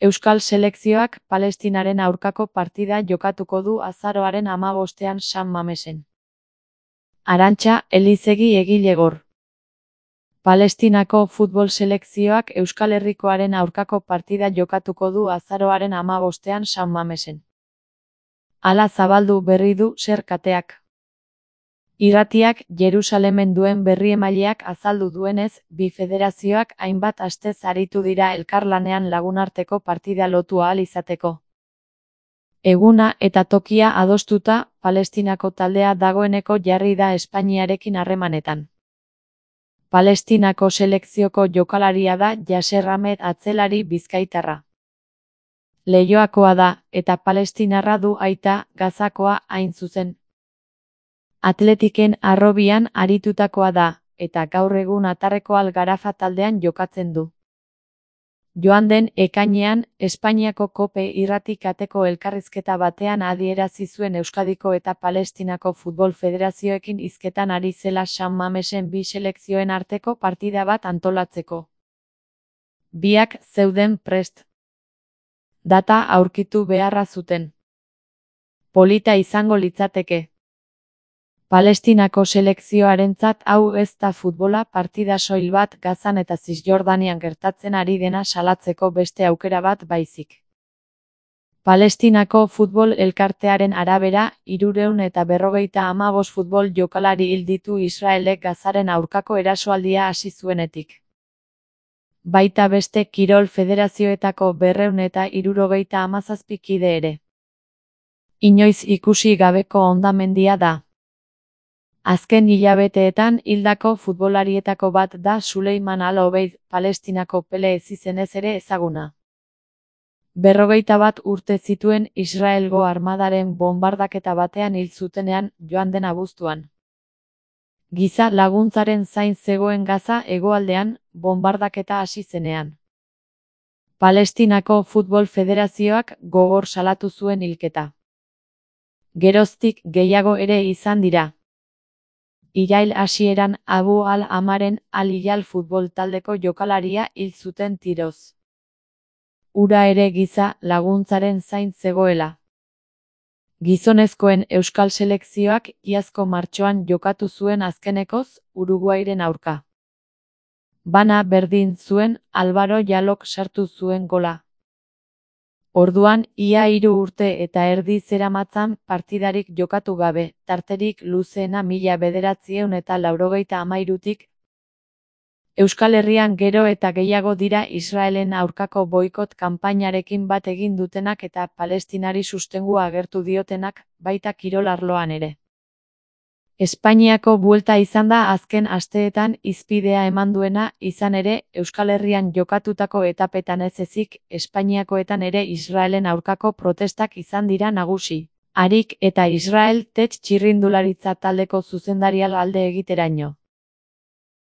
Euskal selekzioak Palestinaren aurkako partida jokatuko du azaroaren 15ean San Mamesen. Arantxa Elizegi egilegor. Palestinako futbol selekzioak Euskal Herrikoaren aurkako partida jokatuko du azaroaren 15ean San Mamesen. Hala zabaldu berri du SER kateak. Irratiak Jerusalemen duen berriemaileak azaldu duenez, bi federazioak hainbat astez aritu dira elkarlanean lagunarteko partida lotu ahal izateko. Eguna eta tokia adostuta, Palestinako taldea dagoeneko jarri da Espainiarekin harremanetan. Palestinako selekzioko jokalaria da Yasser Ahmed atzelari bizkaitarra. Leioakoa da, eta palestinarra du aita, Gazakoa hain zuzen. Atletiken harrobian aritutakoa da, eta gaur egun Atarreko Al Garafa taldean jokatzen du. Joan den ekainean, Espainiako Kope irrati kateko elkarrizketa batean adierazi zuen Euskadiko eta Palestinako futbol federazioekin hizketan ari zela San Mamesen bi selekzioen arteko partida bat antolatzeko. Biak zeuden prest. Data aurkitu beharra zuten. Polita izango litzateke. Palestinako selekzioarentzat hau ez da futbola partida soil bat Gazan eta Zisjordanian gertatzen ari dena salatzeko beste aukera bat baizik. Palestinako futbol elkartearen arabera, 355 futbol jokalari hil ditu Israelek Gazaren aurkako erasoaldia hasi zuenetik. Baita beste kirol federazioetako 277 kide ere. Inoiz ikusi gabeko hondamendia da. Azken hilabeteetan hildako futbolarietako bat da Suleiman Al-Obeid, Palestinako Pele izenez ere ezaguna. 41 urte zituen Israelgo armadaren bonbardaketa batean hil zutenean joan den abuztuan. Giza laguntzaren zain zegoen Gaza hegoaldean, bonbardaketa hasi zenean. Palestinako futbol federazioak gogor salatu zuen hilketa. Geroztik gehiago ere izan dira. Irail hasieran Abu al-Amaren Al-Hilal futbol taldeko jokalaria hil zuten tiroz. Hura ere giza laguntzaren zain zegoela. Gizonezkoen euskal selekzioak iazko martxoan jokatu zuen azkenekoz Uruguairen aurka. Bana berdin zuen Álvaro Jalok sartu zuen gola. Orduan, ia 3 urte eta erdi zeramatzan partidarik jokatu gabe, tarterik luzeena 1993tik. Euskal Herrian gero eta gehiago dira Israelen aurkako boikot kanpainarekin bat egin dutenak eta Palestinari sostengua agertu diotenak, baita kirol arloan ere. Espainiako buelta izan da azken asteetan hizpidea eman duena, izan ere, Euskal Herrian jokatutako etapetan ez ezik, Espainiakoetan ere Israelen aurkako protestak izan dira nagusi. Harik eta Israel txirrindularitza taldeko zuzendaria alde egiteraino.